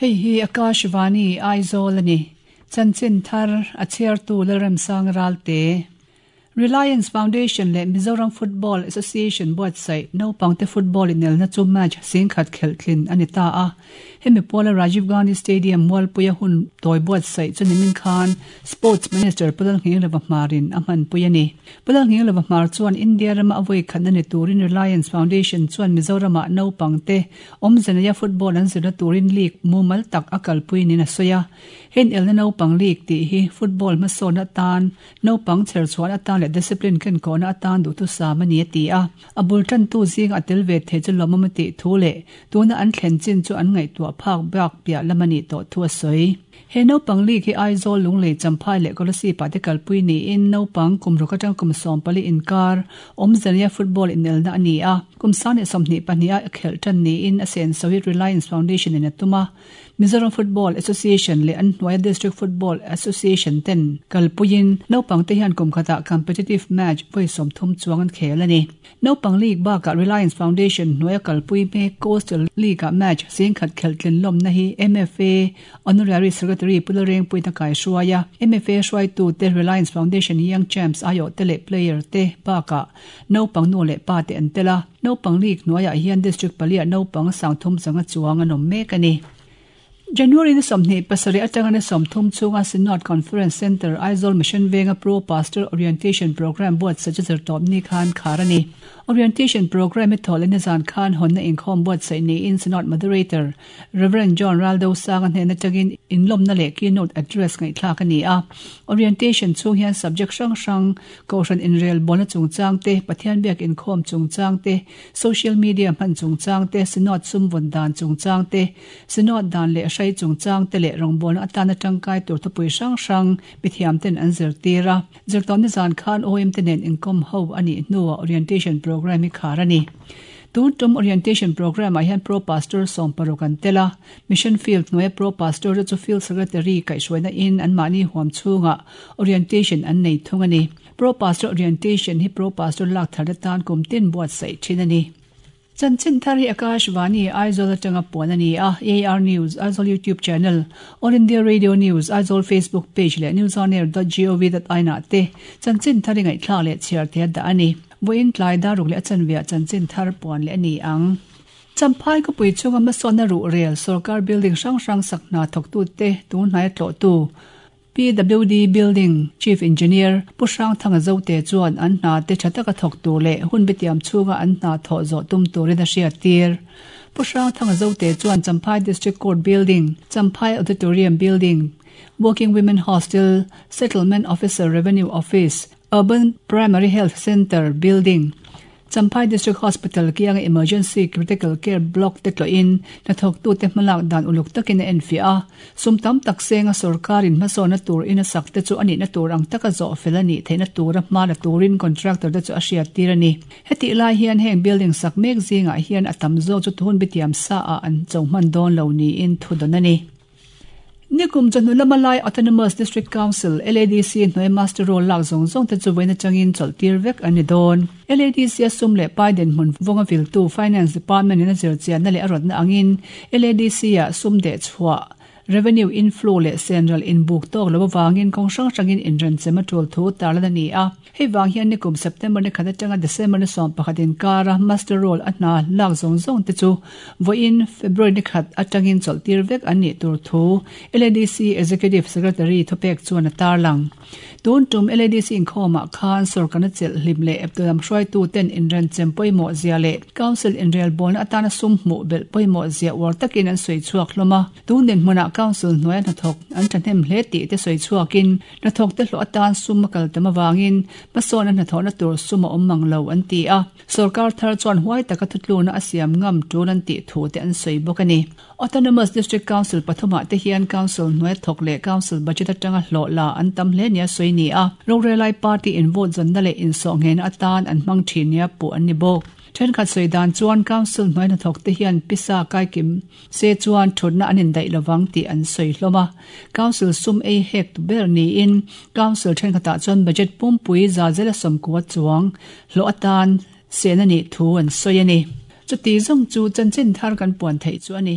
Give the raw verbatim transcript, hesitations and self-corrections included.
Hei hi Akashvani Aizawl ani. Chanchin thar a chhiartu Lalremsang Ralte. Reliance Foundation leh Mizoram Football Association buatsaih naupangte football inelna chu match singkhat khelh tlin a ni ta a. Hemi pawla Rajiv Gandhi Stadium mualpuia hun tawi buatsaih chu nimin khan Sports Minister Pu Lalnghinglova Hmarin a hmanpui a ni. Pu Lalnghinglova Hmar chuan India rama a vawi khatna ni turin Reliance Foundation chuan Mizorama naupangte awmzeneia football an zirna turin league mumal tak a kalpui niin a sawi a. Hen elna naupang league tih hi football hmasawn atan naupang chherchhuan atan leh discipline ken kawhna atan duhtu sam a ni a ti a. A bul tantu zing a tel ve thei chu lawmawm a tih thu leh tuna an thlen chin chu an ngaihtuah phak bak piah lam a nih tawh thu a sawi. He naupang league hi Aizawl Lunglei Champhai leh Kolasib ah te kalpui niin naupang kum ruk atang kum sawm pali inkar awmzania football inelna a ni a. Kum sang leh sawmhnih pahnih a khelh tan niin a senso hi Reliance Foundation in a tum a. Mizoram Football Association leh an hnuaia District Football Association ten kalpuiin naupang te hian kum khatah competitive match vawi sawm thum chuang an khel a ni. Naupang league bakah Reliance Foundation hnuaia kalpui mek Coastal League ah match singkhat khelh tlin lawmna hi M F A Honorary Secretary Pu Lalrengpuiin a kai hruai a. M F A hruaitu te Reliance Foundation Young Champs aiawh te leh player te bakah naupang nu leh pa te an tel a. Naupang league hnuaiah hian District paliah naupang sang thum zanga chuang an awm mek a ni. January ni sawmhnih pasarih atanga ni sawmthum chunga Synod Conference Centre Aizawl Mission Venga Pro Pastor Orientation Program buatsaih chu zirtawp ni khan khar a ni. Orientation Program hi thawh leh nizan khan hawnna inkhawm buatsaih niin Synod Moderator Reverend John Raldo Sanga hnen atangin inlawmna leh keynote address ngaihthlak a ni a. Orientation chung hian subject hrang hrang kohhran inrel bawlna chungchang te, Pathian biak inkhawm chungchang te, social media hman chungchang te, Synod sum vawn dan chungchang te, Synod dan leh hrai chungchang te leh rawngbawlna atana tangkai tur thupui hrang hrang mithiam ten an zir tir a. Zirtawp nizan khan O M te nen inkhawm ho a nih hnuah orientation program hi khar a ni. Tun tum orientation program ah hian Pro Pastor sawm paruk an tel a. Mission Field hnuaia Pro Pastor te chu Field Secretary kaihhruaina in anmahni huam chhungah orientation an nei thung a ni. Pro Pastor orientation hi Pro Pastor lak thar atan kum tin buatsaih thin a ni. Chanchin thar hi Akashvani Aizawl atanga puan a ni a. A R News Aizawl YouTube channel, All India Radio News Aizawl Facebook page leh newsonair dot gov dot in ah te chanchin thar hi ngaihthlak leh chhiar thei a dah a ni. Vawiin tlai daruk leh a chanveah chanchin thar puan leh a ni ang. Champhai khawpui chunga hmasawnna ruh rel sarkar building hrang hrang sak hna thawktu te tun hnai a tlawhtu P W D Building Chief Engineer Pu Hrang Thanga Zote chuan an hna te tha taka thawk tur leh hun bitiam chhunga an hna thawh zawh tum turin a hriat tir. Pu Hrang Thanga Zote chuan Champhai District Court Building, Champhai Auditorium Building, Working Women Hostel, Settlement Officer Revenue Office, Urban Primary Health Centre Building, Champhai District Hospital kianga Emergency Critical Care Block te tlawhin hnathawktu te hmalak dan uluk takin a enfiah a. Sum tam tak senga sarkarin hmasawnna tur in a sak te chu a nihna tur ang taka zawh fel a nih theihna tura hma la turin contractor te chu a hriat tir a ni. Hetih lai hian heng building sak mek zingah hian a tam zawk chu thun bitiam sa ah an cho hman dawn lo niin thu dawn a ni. Nikum chawhnu lama lai Autonomous District Council L A D C hnuai master roll lak zawng zawng te chu vawiin atangin chawlh tir vek an ni dawn. L A D C a sum leh pai dinhmun vawnga viltu Finance Department in a zir chianna leh a rawtna angin L A D C ah sum deh chhuah revenue inflow leh central inbuk tawk lo awangin kawng hrang hrangin inrenchem a tul thu tarlan a ni a. Hei vang hian nikum September ni khat atanga December ni sawm pakhat inkara master roll a hna lak zawng zawng te chu vawiin February ni khat atangin chawlh tir vek an nih tur thu L A D C Executive Secretary thupek chuan a tarlang. Tun tum L A D C inkhawmah khan sarkarna chelh hlim leh eptulam hruaitu ten inrenchem pawimawh zia leh Council inrel bawlna atana sum hmuh belh pawimawh zia uar takin an sawi chhuak hlawm a. Tun dinhmunah Council hnuaia hnathawk an thahnem hle tih te sawi chhuakin hnathawk te hlawh atan sum a kal tam awangin hmasawn a hnathawhna tur sum a awm mang lo an ti a. Sarkar thar chuan huai taka thutluna a siam ngam tul an tih thu te an sawi bawk a ni. Autonomous District Council pathumah te hian Council hnuaia thawk leh Council budget atanga hlawh la an tam hle nia sawi ni a. Rorelai Party in vote zawnna leh insawh nghehna atan an hmang thin nia puh an ni bawk. Thenkhat sawi dan chuan Council hnuaia hnathawk te hian pisa kaikim se chuan thutna an indaih lovang tih an sawi hlawm a. Council sum ei hek tu ber niin Council thenkhatah chuan budget pumpui za zela sawmkua chuang hlawh atan sena nih thu an sawi a ni. Chuti zawng chu chanchin thar kan puan theih chu a ni.